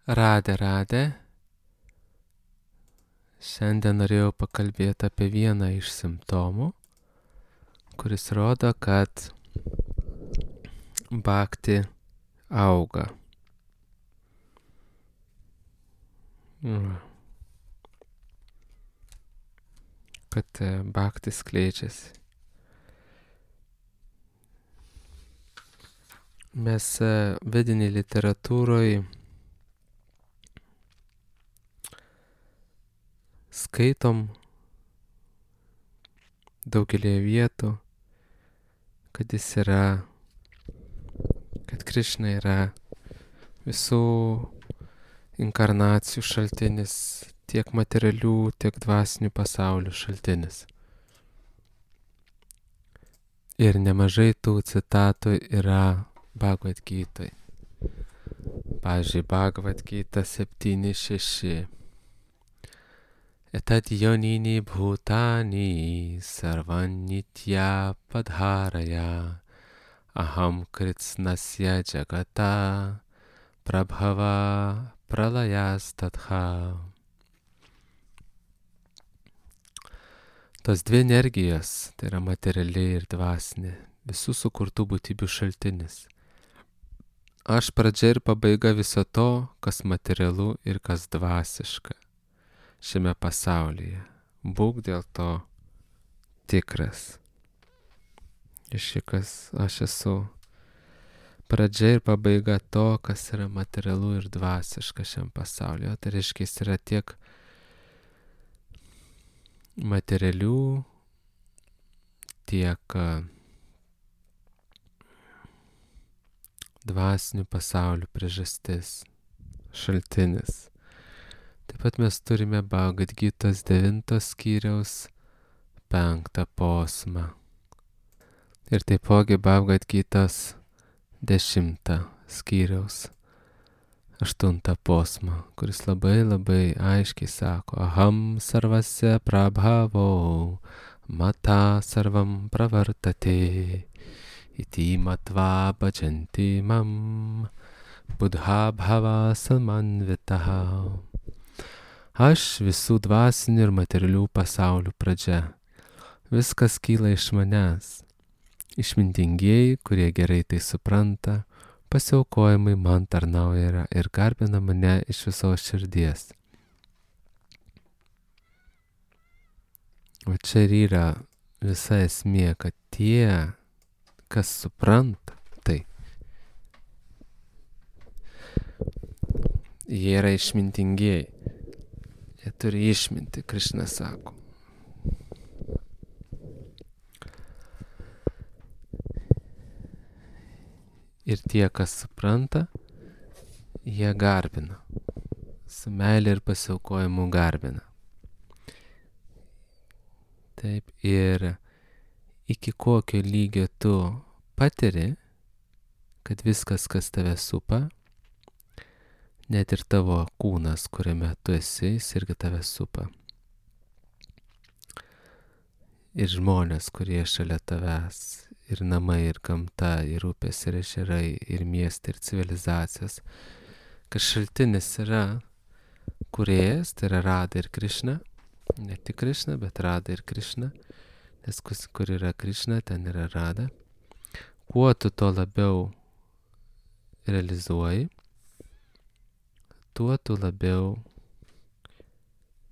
Radė. Šiandien norėjau pakalbėti apie vieną iš simptomų, kuris rodo, kad bhakti auga. Kad bhakti skleidžiasi. Mes vedinėj literatūroje skaitom daugelį vietų, kad Krišna yra visų inkarnacijų šaltinis, tiek materialių, tiek dvasinių pasaulių šaltinis. Ir nemažai tų citatų yra Bhagavad Gitoj. Pavyzdžiui, Bhagavad Gita 7.6. Etad yonini bhutani sarvanitya padharaya aham kritsnasya jagata prabhava pralayas tatha. Tos dvi energijos, tai yra materiali ir dvasinė, visų sukurtų būtybių šaltinis. Aš pradžia ir pabaiga viso to, kas materialu ir kas dvasiška šiame pasaulyje. Būk dėl to tikras. Aš esu pradžia ir pabaiga to, kas yra materialu ir dvasiška šiam pasaulyje. Tai reiškia, jis yra tiek materialių, tiek dvasinių pasaulių priežastis, šaltinis. Taip pat mes turime Bhagavad Gitos 9 skyriaus 5 posmą. Ir taipogi Bhagavad Gitos 10 skyriaus 8 posmą, kuris labai aiškiai sako: Aham sarvasya prabhavo mata sarvam pravartate iti matva bhajanti mam buddha bhava samanvitaha. Aš visų dvasinių ir materialių pasaulių pradžia. Viskas kyla iš manęs. Išmintingieji, kurie gerai tai supranta, pasiaukojimai man tarnauja ir garbina mane iš visos širdies. O čia ir yra visa esmė, kad tie, kas supranta, tai jie yra išmintingieji. Jie turi išminti, Krišna sako. Ir tie, kas supranta, jie garbina. Su meilė ir pasiaukojimu garbina. Taip, ir iki kokio lygio tu patiri, kad viskas, kas tave supa, net ir tavo kūnas, kuriame tu esi, jis irgi tave supa. Ir žmonės, kurie šalia tavęs, ir namai, ir gamta, ir upės, ir ežerai, ir miestai, ir civilizacijos. Kad šaltinis yra kūrėjas, tai yra Radha ir Krišna. Ne tik Krišna, bet Radha ir Krišna. Nes kur yra Krišna, ten yra Radha. Kuo tu to labiau realizuoji, tuo tu labiau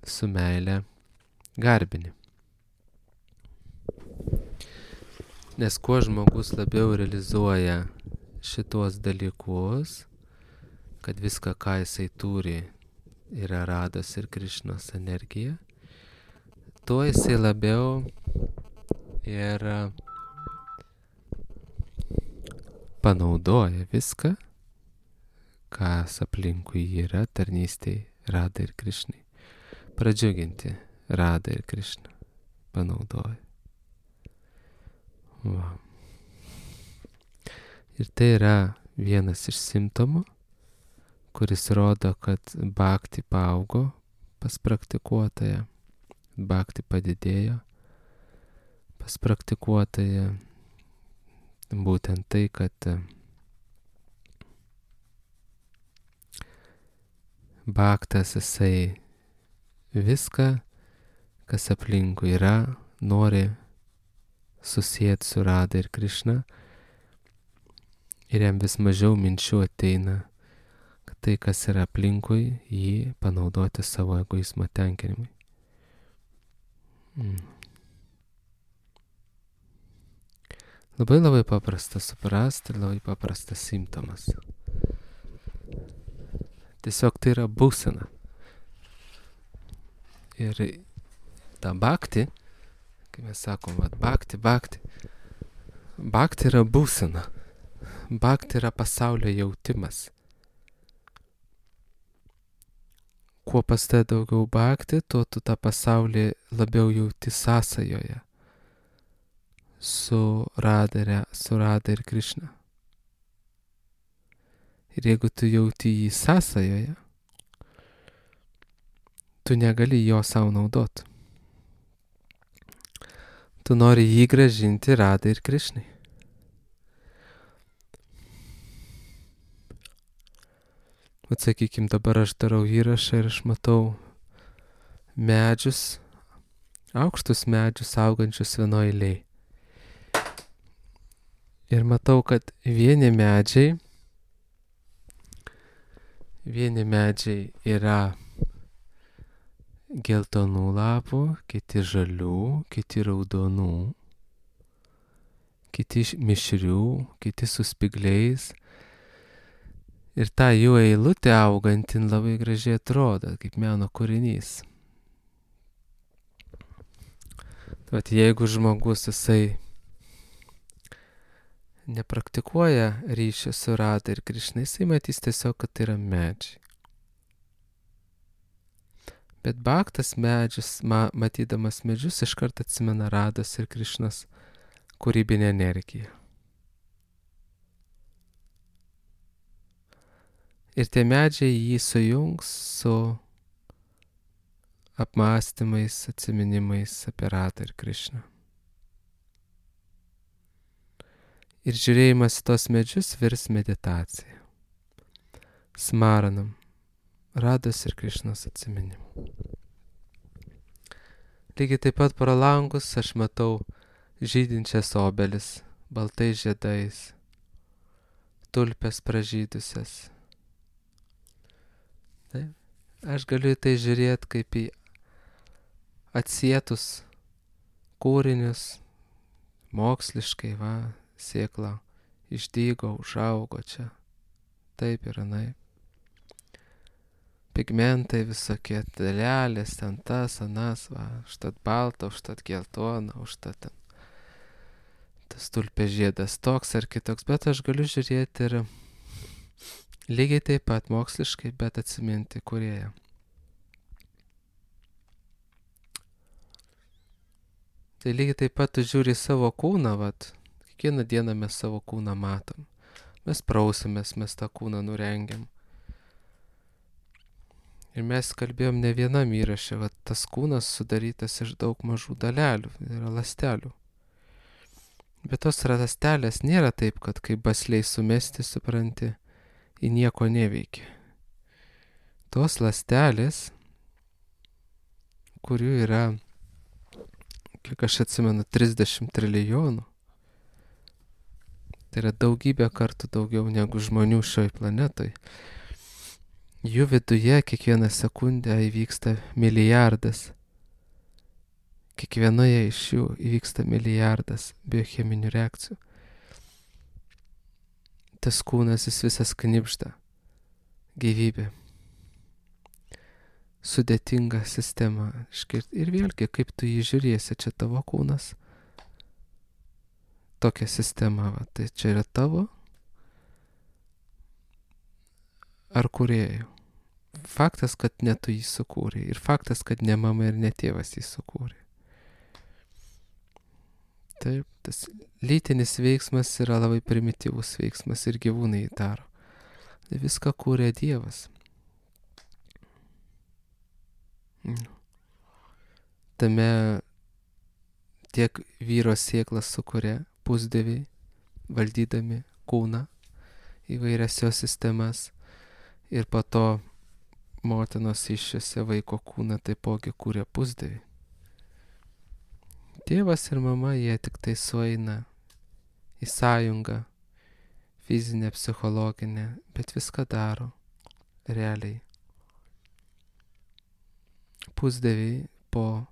su meile garbini. Nes kuo žmogus labiau realizuoja šitos dalykus, kad viską, ką jisai turi, yra Radhos ir Krišnos energija, tuo jisai labiau ir panaudoja viską, kas aplinkui yra tarnystėj Radhai ir Krišnai. Pradžiuginti Radhą ir Krišną panaudoja. Va. Ir tai yra vienas iš simptomų, kuris rodo, kad bhakti paaugo pas praktikuotoją, bhakti padidėjo pas praktikuotoją. Būtent tai, kad Bhaktas jisai viską, kas aplinkui yra, nori susijęti su Radha ir Krišna. Ir jam vis mažiau minčių ateina, kad tai, kas yra aplinkui, jį panaudoti savo egoizmo tenkinimui. Labai paprasta suprasti ir labai paprastas simptomas. Tiesiog tai yra būsena. Ir ta bhakti, kai mes sakom, bhakti yra būsena. Bhakti yra pasaulio jautimas. Kuo pas tai daugiau bhakti, tuo tu tą pasaulį labiau jauti sąsajoje su Radha ir Krišna. Ir jeigu tu jauti jį sąsajoje, tu negali jo savo naudoti. Tu nori jį grąžinti Radhai ir Krišnai. Sakykime, dabar aš darau įrašą ir aš matau medžius, aukštus medžius augančius vienoje eilėje. Ir matau, kad vieni medžiai yra geltonų lapų, kiti žalių, kiti raudonų, kiti mišrių, kiti su spygliais. Ir ta jų eilutė augantin labai gražiai atrodo, kaip meno kūrinys. Vat jeigu žmogus jisai nepraktikuoja ryšio su Radha ir Krišna, jisai matys tiesiog, kad tai yra medžiai. Bet bhaktas medžius, matydamas medžius, iškart atsimena Radhos ir Krišnos kūrybinę energiją. Ir tie medžiai jį sujungs su apmąstymais, atsiminimais apie Radhą ir Krišną. Ir žiūrėjimas į tos medžius virs meditacija. Smaranam Radhos ir Krišnos atsiminimų. Lygiai taip pat pro langus aš matau žydinčias obelis, baltais žiedais, tulpes pražydusias. Taip. Aš galiu į tai žiūrėti kaip į atsietus kūrinius, moksliškai, sėkla išdygo, užaugo čia, taip ir anaip. Pigmentai visokie, dalelės, ten tas, anas, užtat balta, užtat geltona, užtat ten tas tulpės žiedas toks ar kitoks, bet aš galiu žiūrėti ir lygiai taip pat moksliškai, bet atsiminti kūrėją. Tai lygiai taip pat tu žiūri savo kūną, kiekvieną dieną mes savo kūną matom. Mes prausimės, mes tą kūną nurengiam. Ir mes kalbėjom ne vienam įraše, tas kūnas sudarytas iš daug mažų dalelių, yra ląstelių. Bet tos ląstelės nėra taip, kad kaip basliai sumesti, supranti, į nieko neveikia. Tos ląstelės, kurių yra, kiek aš atsimenu, 30 trilijonų, tai yra daugybę kartų daugiau negu žmonių šioj planetoj. Jų viduje kiekvieną sekundę įvyksta milijardas. Kiekvienoje iš jų įvyksta milijardas biocheminių reakcijų. Tas kūnas jis visas knibžda. Gyvybė. Sudėtinga sistema. Ir vėlgi, kaip tu jį žiūrėsi, čia tavo kūnas. Tokia sistema, tai čia yra tavo ar kūrėjų. Faktas, kad ne tu jį sukūrė. Ir faktas, kad ne mama ir ne tėvas jį sukūrė. Taip, tas lytinis veiksmas yra labai primityvus veiksmas ir gyvūnai jį daro. Tai viską kūrė Dievas. Tame tiek vyro sėklas sukuria pusdieviai, valdydami kūną, įvairias jo sistemas, ir po to motinos iššiose vaiko kūną taipogi kūrė pusdieviai. Tėvas ir mama, jie tik tai sueina į sąjungą, fizinę, psichologinę, bet viską daro realiai. Pusdieviai po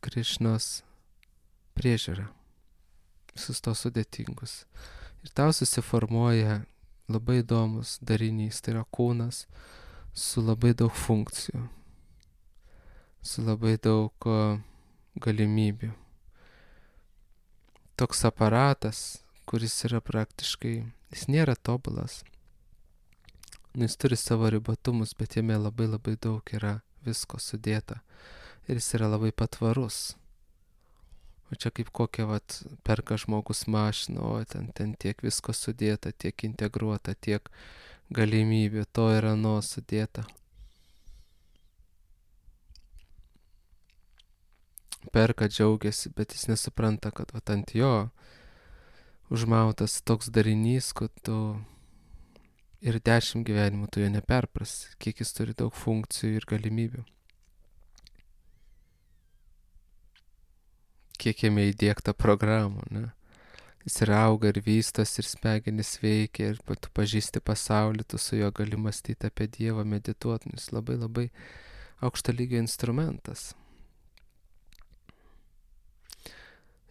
Krišnos priežiūrą, visus tos sudėtingus. Ir tau susiformuoja labai įdomus darinys, tai yra kūnas su labai daug funkcijų, su labai daug galimybių. Toks aparatas, kuris yra praktiškai, jis nėra tobulas. Jis turi savo ribotumus, bet jame labai labai daug yra visko sudėta. Ir jis yra labai patvarus. O čia kaip kokia perka žmogus mašiną, o ten tiek visko sudėta, tiek integruota, tiek galimybių, to ir ano sudėta. Perka, džiaugiasi, bet jis nesupranta, kad ant jo užmautas toks darinys, kad tu ir 10 gyvenimų tu jo neperprasi, kiek jis turi daug funkcijų ir galimybių. Kiek jame įdiegta programų, ne? Jis ir auga, ir vystos, ir smegenis veikia, ir tu pažįsti pasaulį, tu su juo gali mąstyti apie Dievą, medituoti, jis labai labai aukšto lygio instrumentas.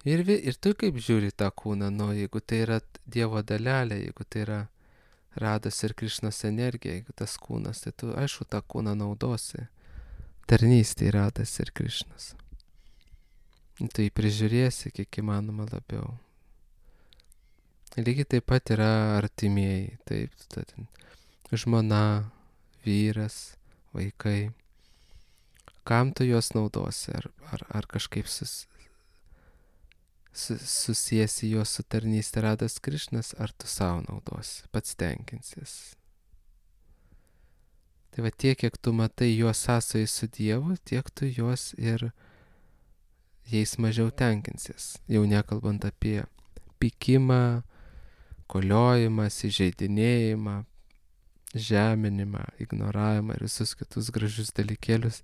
Ir tu kaip žiūri tą kūną, jeigu tai yra Dievo dalelė, jeigu tai yra Rados ir Krišnos energija, jeigu tas kūnas, tai tu aišku tą kūną naudosi. Tarnystė Radas ir Krišnas. Tu jį prižiūrėsi kiek įmanoma labiau. Lygiai taip pat yra artimieji, taip, žmona, vyras, vaikai. Kam tu juos naudosi? Ar kažkaip susiesi juos su tarnystė Radas Krišnas, ar tu savo naudosi, pats tenkinsies. Tai tiek, kiek tu matai juos sąsojai su Dievu, tiek tu juos ir jais mažiau tenkinsies. Jau nekalbant apie pykimą, koliojimą, įžeidinėjimą, žeminimą, ignoravimą ir visus kitus gražius dalykėlius,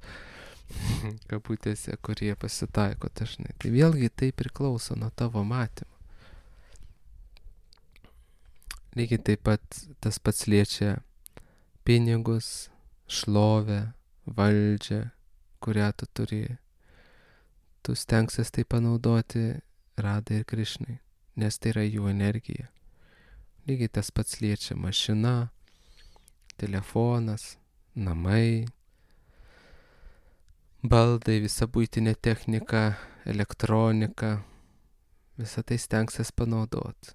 kabutėse, kurie pasitaiko dažnai. Tai vėlgi tai priklauso nuo tavo matymo. Lygiai taip pat tas pats liečia pinigus, šlovę, valdžią, kurią tu turi. Tu stengsies tai panaudoti Radai ir Krišnai, nes tai yra jų energija. Lygiai tas pats liečia mašina, telefonas, namai, baldai, visa buitinė technika, elektronika, visą tai stengsies panaudoti.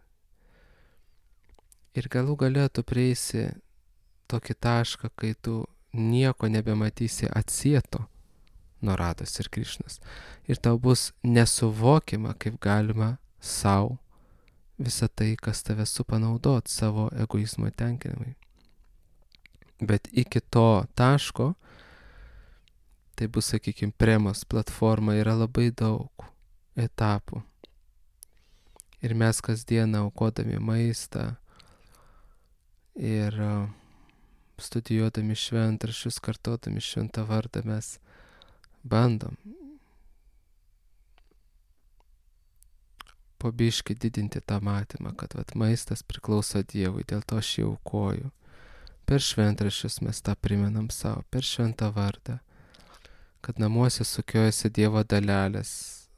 Ir galų gale tu prieisi tokį tašką, kai tu nieko nebematysi atsieto nuo Rados ir Krišnos. Ir tau bus nesuvokiama, kaip galima savo visą tai, kas tave supanaudot savo egoizmo tenkinimui. Bet iki to taško, tai bus, sakykime, Premos platforma, yra labai daug etapų. Ir mes kasdieną aukodami maistą ir studijuodami šventraščius, kartodami šventą vardą, mes bandom po biškį didinti tą matymą, kad maistas priklauso Dievui, dėl to aš jį aukoju. Per šventraščius mes tą primenam savo, per šventą vardą, kad namuose sukiojasi Dievo dalelės.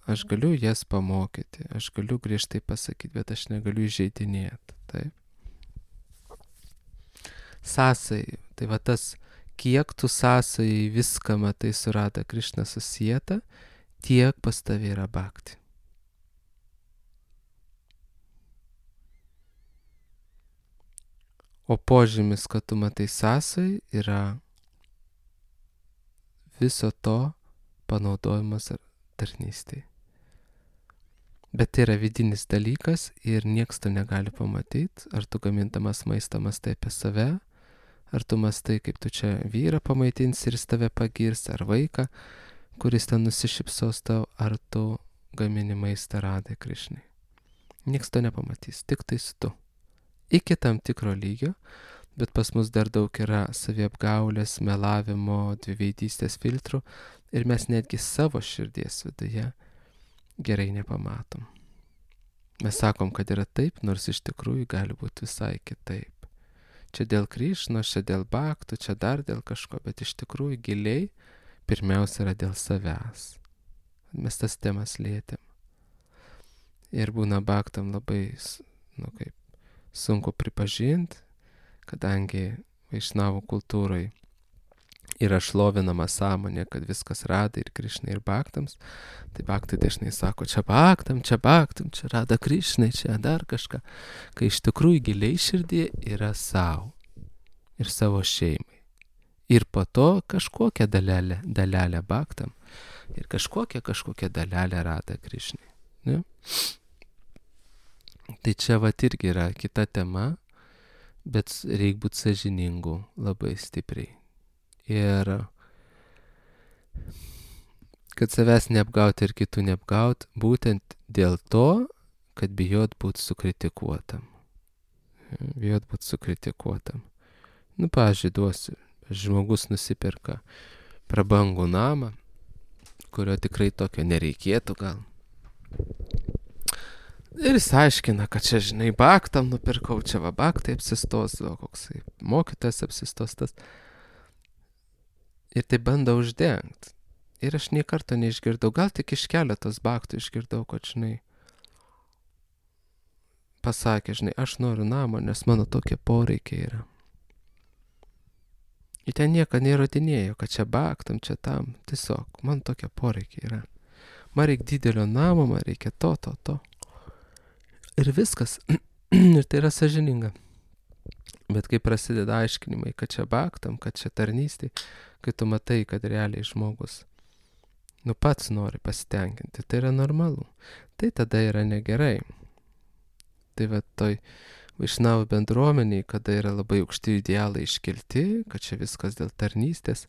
Aš galiu jas pamokyti, aš galiu griežtai pasakyti, bet aš negaliu įžeidinėti. Taip. Sąsai, tai tas, kiek tu sąsai viską matai su Rada Krišna susijęta, tiek pas tavai yra bhakti. O požymis, kad tu matai sąsai, yra viso to panaudojimas tarnystėje. Bet tai yra vidinis dalykas ir nieks to negali pamatyti, ar tu gamindamas maistą mastai apie save, ar tu mastai, kaip tu čia vyrą pamaitinsi ir jis tave pagirs, ar vaiką, kuris ten nusišypsos tau, ar tu gamini maistą Radai Krišnai. Nieks to nepamatys, tik tais tu. iki tam tikro lygio, bet pas mus dar daug yra saviapgaulės, melavimo, dviveidystės filtrų ir mes netgi savo širdies viduje gerai nepamatom. Mes sakom, kad yra taip, nors iš tikrųjų gali būti visai kitaip. Čia dėl Krišnos, čia dėl baktų, čia dar dėl kažko, bet iš tikrųjų giliai pirmiausia yra dėl savęs. Mes tas temas lietėm. Ir būna baktam labai, sunku pripažinti, kadangi vaišnavų kultūrai yra šlovinama sąmonė, kad viskas Radai ir Krišnai ir baktams, tai baktai dažnai sako, čia baktam, čia Rada Krišnai, čia dar kažką, kai iš tikrųjų giliai širdį yra savo ir savo šeimai. Ir po to kažkokią dalelę baktam ir kažkokią dalelę Rada Krišnai. Ne? Tai čia irgi yra kita tema, bet reikia būti sąžiningu labai stipriai. Ir kad savęs neapgauti ir kitų neapgauti, būtent dėl to, kad bijot būti sukritikuotam. Pavyzdžiui, duosiu, žmogus nusipirka prabangų namą, kurio tikrai tokio nereikėtų gal. Ir jis aiškina, kad čia, baktam nupirkau, čia baktai apsistos, koksai mokytojas apsistos tas. Ir tai bando uždengti. Ir aš nei karto neišgirdau, gal tik iš keletos baktų išgirdau, kad, pasakė, aš noriu namo, nes mano tokie poreikiai yra. Ir ten nieko neįrodinėjo, kad čia baktam, čia tam. Tiesiog, man tokie poreikiai yra. Man reikia didelio namo, man reikia to. Ir viskas. Ir tai yra sąžininga. Bet kai prasideda aiškinimai, kad čia baktam, kad čia tarnystė, kai tu matai, kad realiai žmogus pats nori pasitenkinti, tai yra normalu. Tai tada yra negerai. Tai toj vaišnavų bendruomeniai, kada yra labai aukšti idealai iškelti, kad čia viskas dėl tarnystės,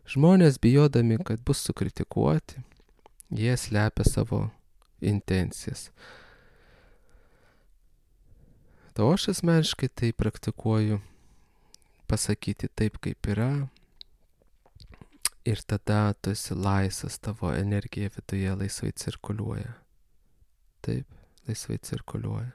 žmonės bijodami, kad bus sukritikuoti, jie slepia savo intencijas. O aš asmeniškai tai praktikuoju pasakyti taip, kaip yra, ir tada tu esi laisvas, tavo energija viduje laisvai cirkuliuoja. Taip, laisvai cirkuliuoja.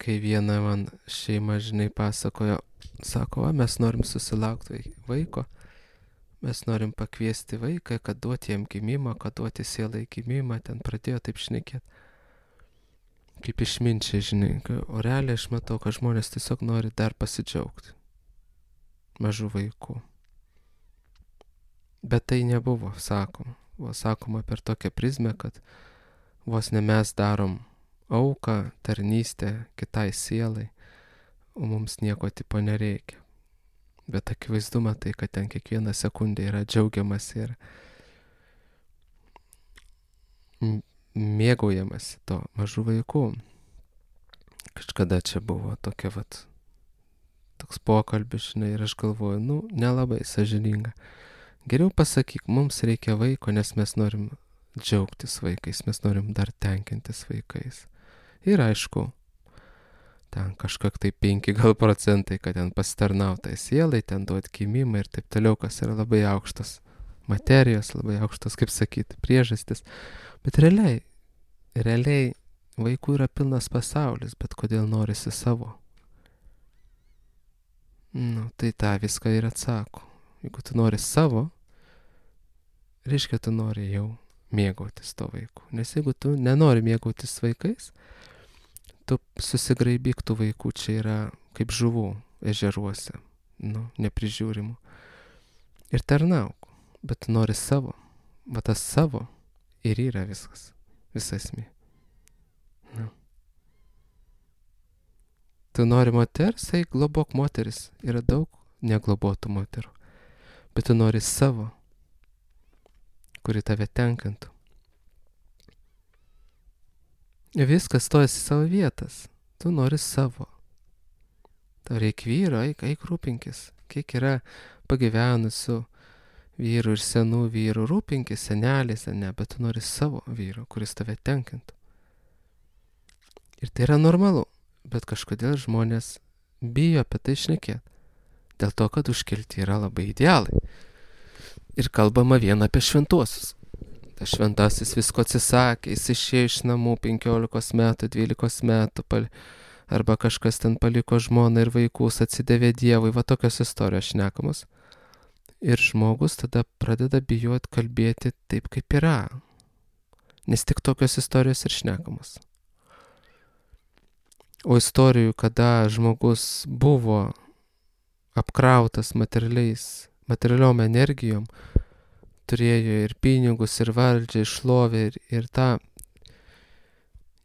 Kai viena man šeima, pasakojo, sako, mes norim susilaukti vaiko, mes norim pakviesti vaiką, kad duoti jam gimimą, kad duoti sielai gimimą, ten pradėjo taip šnekėti. Kaip išminčiai, o realiai aš matau, kad žmonės tiesiog nori dar pasidžiaugti mažų vaikų. Bet tai nebuvo sakoma. Buvo sakoma per tokią prizmę, kad vos ne mes darom auką, tarnystę kitai sielai, o mums nieko tipo nereikia. Bet akivaizdu matai, kad ten kiekvieną sekundę yra džiaugiamas ir mėgaujamas to mažų vaikų. Kažkada čia buvo toks pokalbis, ir aš galvoju, nelabai sąžininga. Geriau pasakyk, mums reikia vaiko, nes mes norim džiaugtis vaikais, mes norim dar tenkintis vaikais. Ir aišku, ten kažkiek tai 5% kad ten pasitarnautai sielai, ten duot gimimą ir taip toliau, kas yra labai aukštos materijos, labai aukštos, kaip sakyti, priežastis. Bet realiai vaikų yra pilnas pasaulis, bet kodėl norisi savo? Tai tą viską ir atsako. Jeigu tu nori savo, reiškia, tu nori jau mėgautis to vaikų. Nes jeigu tu nenori mėgautis vaikais, tu susigraibyk tų vaikų, čia yra kaip žuvų ežeruose, neprižiūrimų. Ir tarnauk, bet tu nori savo. Va tas savo ir yra viskas, visa esmė. Tu nori moters, globok moteris. Yra daug neglobotų moterų. Bet tu nori savo, kuri tave tenkintų. Viskas stojasi savo vietas. Tu nori savo. Tau reikia vyro, eik rūpinkis. Kiek yra pagyvenusių vyrų ir senų vyrų, rūpinkis seneliais, ne, bet tu nori savo vyro, kuris tave tenkintų. Ir tai yra normalu, bet kažkodėl žmonės bijo apie tai šnekėti. Dėl to, kad užkelti yra labai idealai. Ir kalbama vien apie šventuosius. Tas šventasis visko atsisakė, jis išėjo iš namų 15 metų, 12 metų, arba kažkas ten paliko žmoną ir vaikus, atsidavė Dievui, va tokios istorijos šnekamos. Ir žmogus tada pradeda bijoti kalbėti taip, kaip yra. Nes tik tokios istorijos ir šnekamos. O istorijų, kada žmogus buvo apkrautas materialiom energijom, turėjo ir pinigus, ir valdžią, ir šlovę, ir tą,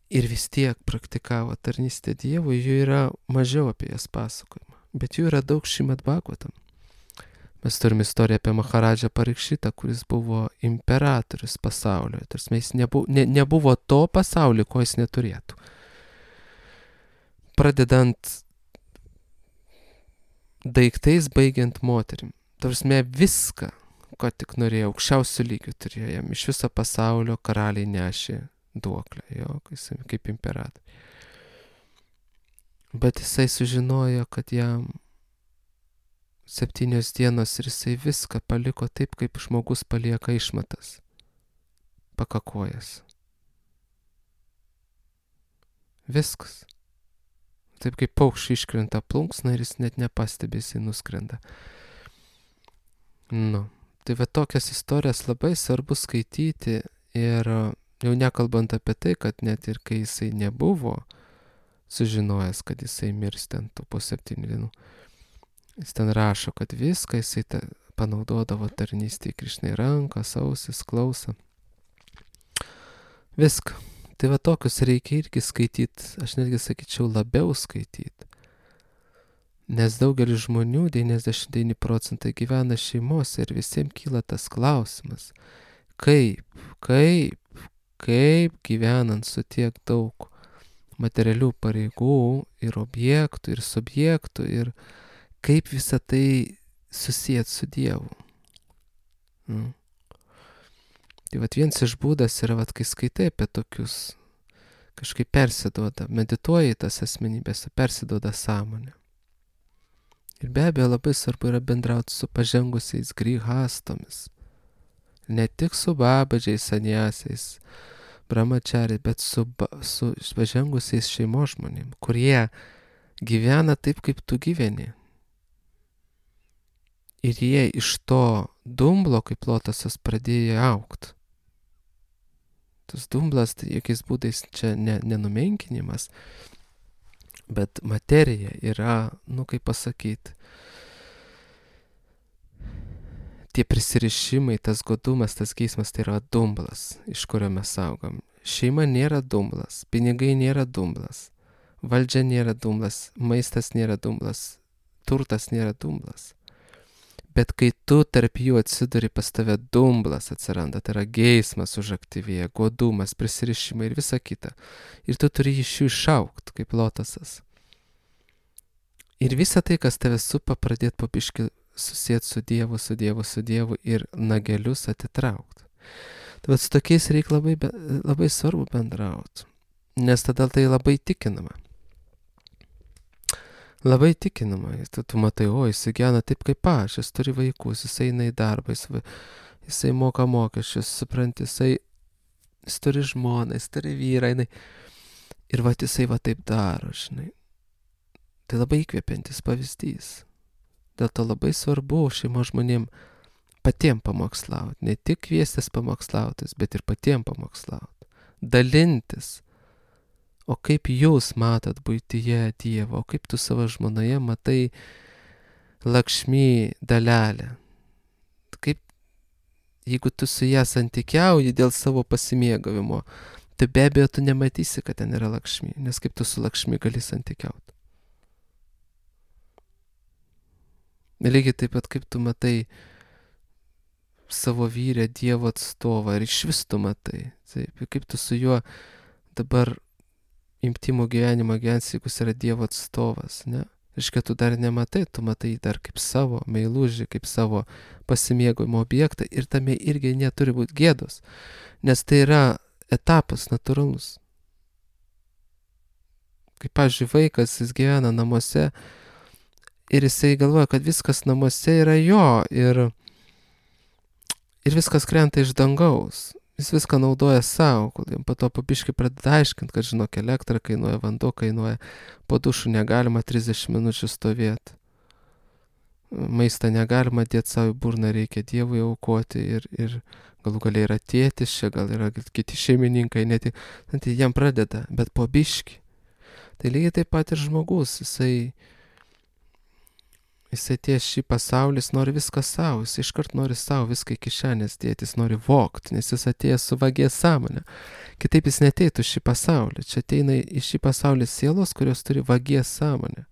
ir vis tiek praktikavo tarnystę Dievui, jų yra mažiau apie jas pasakojama, bet jų yra daug Šrimad Bhagavatam. Mes turim istoriją apie Maharadžą Parikšitą, kuris buvo imperatorius pasaulio, tarsi jis nebuvo to pasaulio, ko jis neturėtų. Pradedant daiktais, baigiant moterim. Tarsi viską, ko tik norėjo, aukščiausių lygių turėjo jam. Iš viso pasaulio karaliai nešė duoklę, jo, kaip imperatorius. Bet jisai sužinojo, kad jam 7 dienos ir jisai viską paliko taip, kaip žmogus palieka išmatas, pakakojęs. Viskas. Taip kaip paukščiai iškrenta plunksna ir jis net nepastebi, jisai nuskrenda. Tai va tokias istorijas labai svarbu skaityti ir jau nekalbant apie tai, kad net ir kai jisai nebuvo sužinojęs, kad jisai mirs ten po 7 dienų, jis ten rašo, kad viską jisai panaudodavo tarnystėje, Krišnai rankas, ausis, klausą. Viską. Tai va tokius reikia irgi skaityti, aš netgi sakyčiau labiau skaityti. Nes daugelis žmonių, 99% gyvena šeimose ir visiems kyla tas klausimas, kaip gyvenant su tiek daug materialių pareigų ir objektų ir subjektų ir kaip visą tai susijęt su Dievu. Tai vat vienas iš būdas yra, kai skaitai apie tokius, kažkaip persiduoda, medituoji tas asmenybės, persiduoda sąmonė. Ir be abejo labai svarbu yra bendrauti su pažengusiais grihastomis. Ne tik su babadžiais, saniasiais, brahmachariais, bet su pažengusiais šeimos žmonėm, kurie gyvena taip, kaip tu gyveni. Ir jie iš to dumblo, kaip lotosas, pradėjo augti. Tas dumblas, tai jokiais būdais čia nenumenkinimas, bet materija yra, kaip pasakyti, tie prisirišimai, tas godumas, tas geismas, tai yra dumblas, iš kurio mes augam. Šeima nėra dumblas, pinigai nėra dumblas, valdžia nėra dumblas, maistas nėra dumblas, turtas nėra dumblas. Bet kai tu tarp jų atsiduri, pas tave dumblas atsiranda, tai yra geismas užaktyvėja, godumas, prisirišimai ir visa kita. Ir tu turi iš jų išaugti, kaip lotosas. Ir visa tai, kas tave supa, pradėti papiški susijęti su Dievu ir nagelius atitraukti. Tai vat su tokiais reikia labai svarbu bendrauti, nes tada tai labai tikinama. Labai tikinama, tu matai, jis gyvena taip kaip aš, jis turi vaikus, jis eina į darbą, jisai moka mokesčius, supranti, jis turi žmoną, jis turi vyrą, ir jisai taip daro, žinai. Tai labai įkvepiantis pavyzdys. Dėl to labai svarbu šeimos žmonėm patiem pamokslauti, ne tik kviestis pamokslautis, bet ir patiem pamokslauti, dalintis. O kaip jūs matot buityje Dievą, o kaip tu savo žmonoje matai Lakšmi dalelę. Kaip, jeigu tu su ją santykiauji dėl savo pasimėgavimo, tai be abejo tu nematysi, kad ten yra Lakšmi, nes kaip tu su Lakšmi gali santykiauti. Lygiai taip pat kaip tu matai savo vyrę Dievo atstovą ir iš vis tu matai, taip, kaip tu su juo dabar intymų gyvenimą gyvensi, jeigu jis yra Dievo atstovas, ne? Reiškia, tu dar nematai, tu matai dar kaip savo meilužį, kaip savo pasimėgojimo objektą ir tame irgi neturi būti gėdos, nes tai yra etapas natūralus. Kaip, pavyzdžiui, vaikas, jis gyvena namuose ir jisai galvoja, kad viskas namuose yra jo ir viskas krenta iš dangaus. Jis viską naudoja savo, kol jam po to pabiškai pradeda aiškinti, kad žinok, elektra kainuoja, vanduo kainuoja, po dušu negalima 30 minučių stovėti. Maistą negalima dėti savo į burną, reikia Dievui aukoti ir galų galiai yra tėtis, čia gal yra kiti šeimininkai, net tai jam pradeda, bet po biškį. Tai lygiai taip pat ir žmogus, jisai atėjęs šį pasaulį, jis nori viską savo, jis iškart nori savo viską į kišenės dėti, jis nori vogti, nes jis atėjęs su vagės sąmonė. Kitaip jis neteitų šį pasaulį, čia ateina į šį pasaulį sielos, kurios turi vagės sąmonę.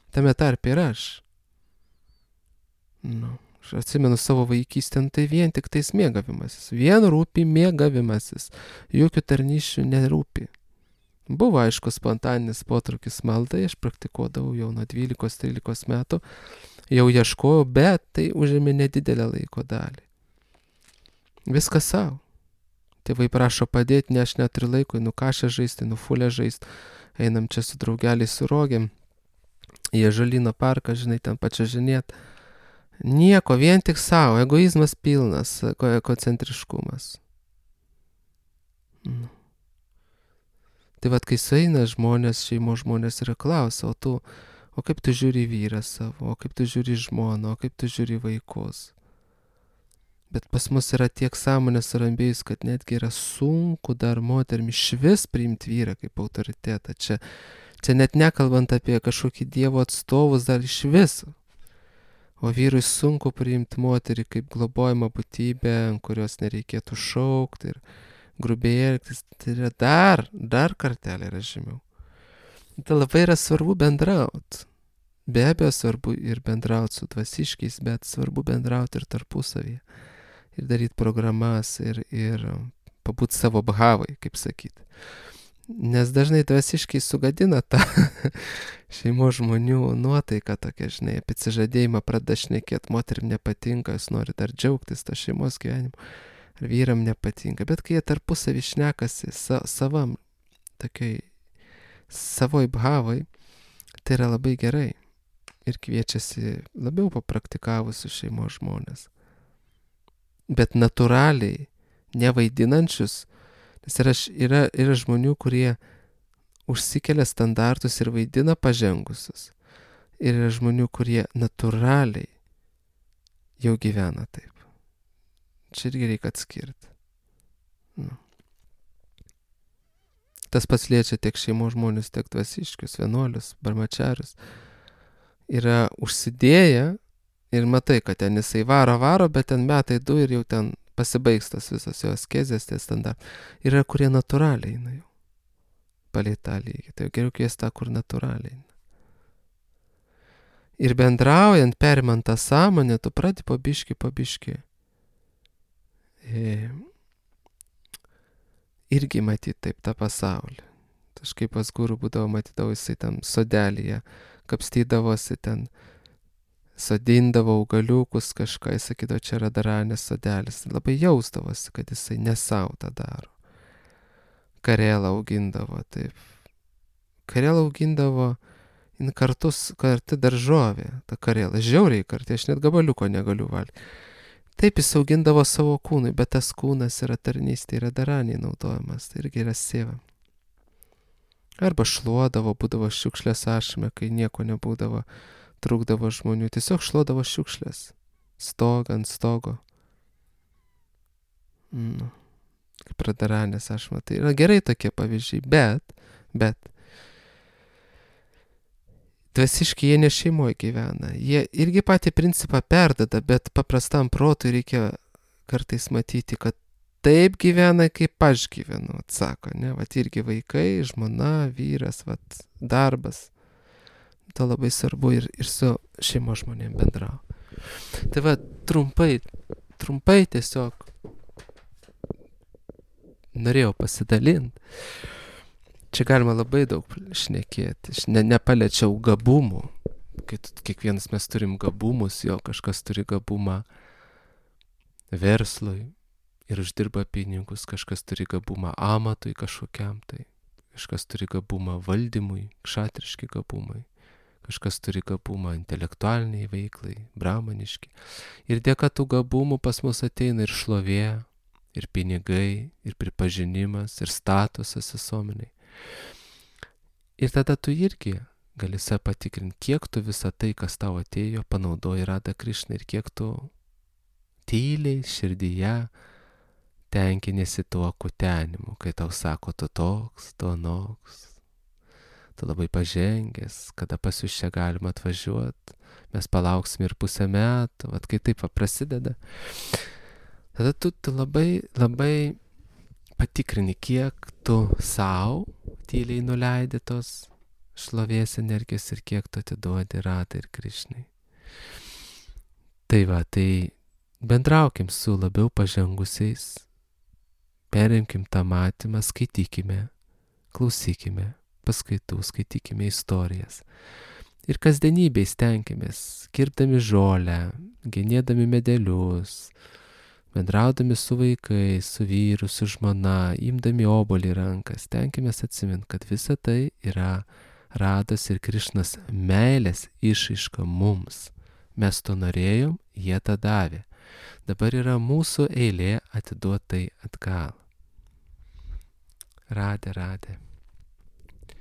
Tame tarpe ir aš. Aš atsimenu savo vaikystę, tai vien tik tais mėgavimasis, vien rūpi mėgavimasis, jokių tarnysčių nerūpi. Buvo, aišku, spontaninis potraukis maldai, aš praktikuodavau jau nuo 12-13 metų, jau ieškojau, bet tai užėmė nedidelę laiko dalį. Viskas savo. Tėvai prašo padėti, ne aš neturiu laiko, kašę žaisti, fulę žaisti, einam čia su draugeliais su rogėm, į Ąžuolyno parką, žinai, ten pačiažinėt. Nieko, vien tik savo, egoizmas pilnas, egocentriškumas. Tai vat, kai sueina žmonės, šeimos žmonės yra klausia, o kaip tu žiūri vyrą savo, o kaip tu žiūri žmoną, o kaip tu žiūri vaikus. Bet pas mus yra tiek sąmonės rambėjus, kad netgi yra sunku dar moterim išvis priimti vyrą kaip autoritetą. Čia net nekalbant apie kažkokį Dievo atstovus dar iš viso. O vyrui sunku priimti moterį kaip globojimą būtybę, kurios nereikėtų šaukti ir grubiai elgtis, tai yra dar kartelį yra žemiau. Tai labai yra svarbu bendrauti. Be abejo svarbu ir bendrauti su dvasiškiais, bet svarbu bendrauti ir tarpusavyje. Ir daryti programas ir pabūti savo bhavai, kaip sakyti. Nes dažnai dvasiškai sugadina tą šeimos žmonių nuotaiką tokia, žinai, apie atsižadėjimą pradeda šnekėti, moterim nepatinka, jis nori dar džiaugtis tą šeimos gyvenimu. Ar vyram nepatinka, bet kai jie tarpusavį šnekasi savam, tokiai savoj bhavai, tai yra labai gerai ir kviečiasi labiau papraktikavusius šeimos žmonės. Bet natūraliai, nevaidinančius, nes yra žmonių, kurie užsikelia standartus ir vaidina pažengusius. Ir yra žmonių, kurie natūraliai jau gyvena taip. Čia irgi reikia atskirti. Tas pats liečia tiek šeimos žmonės, tiek dvasiškius, vienuolius, barmačiarius. Yra užsidėję ir matai, kad ten jisai varo, bet ten metai 2 ir jau ten pasibaigs tas visas jo askezės, tie standartai. Yra, kurie natūraliai eina jau. Palei tą lygį. Tai geriau kviesti tą, kur natūraliai eina. Ir bendraujant, perimant tą sąmonę, tu pradedi pabiški. Irgi matyti taip tą pasaulį. Kažkaip pas gurų būdavo, matydavo jisai ten sodelyje, kapstydavosi ten, sodindavo augaliukus kažką, jis sakydavo, čia yra daranės sodelis. Labai jausdavosi, kad jisai nesau tą daro. Karelą augindavo, taip. Karelą augindavo kartu daržovė, ta karela. Žiauriai kartu, aš net gabaliuko negaliu valgyti. Taip jis augindavo savo kūnui, bet tas kūnas yra tarnystė, yra daraniai naudojamas, tai irgi yra seva. Arba šluodavo, būdavo šiukšlės ašme, kai nieko nebūdavo, trūkdavo žmonių, tiesiog šluodavo šiukšlės, ant stogo. Kaip radaranės ašme, tai yra gerai tokie pavyzdžiai, bet dvasiškai jie ne šeimoje gyvena. Jie irgi patį principą perdada, bet paprastam protui reikia kartais matyti, kad taip gyvena, kaip aš gyvenu, atsako, ne? Vat irgi vaikai, žmona, vyras, vat darbas. To labai svarbu ir su šeimos žmonėm bendrau. Tai va, trumpai tiesiog norėjau pasidalinti. Čia galima labai daug šnekėti. Nepaliečiau gabumų, kiekvienas mes turim gabumus, jo kažkas turi gabumą verslui ir uždirba pinigus, kažkas turi gabumą amatui kažkokiam, tai kažkas turi gabumą valdymui, kšatriški gabumai, kažkas turi gabumą intelektualiniai veiklai, brahmaniški. Ir dėka tų gabumų pas mus ateina ir šlovė, ir pinigai, ir pripažinimas, ir statusas visuomeniai. Ir tada tu irgi gali save patikrinti, kiek tu visą tai, kas tau atėjo, panaudoji Radha Krišną ir kiek tu tyliai širdyje tenkinėsi tuo kutenimu, kai tau sako, tu toks, tu anoks, tu labai pažengęs, kada pas jūs čia galima atvažiuoti, mes palauksim ir pusę metų, vat kai taip prasideda. Tada tu labai, labai patikrini, kiek tu savo tyliai nuleidi tos šlovės energijos ir kiek tu atiduodi Radhai ir Krišnai. Tai va, tai bendraukim su labiau pažengusiais, perimkim tą matymą, skaitykime, klausykime paskaitų, skaitykime istorijas. Ir kasdienybėj stenkimės, kirpdami žolę, genėdami medelius, bendraudami su vaikais, su vyru, su žmona, imdami obuolį ranką, stenkimės atsiminti, kad visa tai yra Radhos ir Krišnos meilės išraiška mums. Mes to norėjom, jie tą davė. Dabar yra mūsų eilė atiduoti tai atgal. Radhe, Radhe.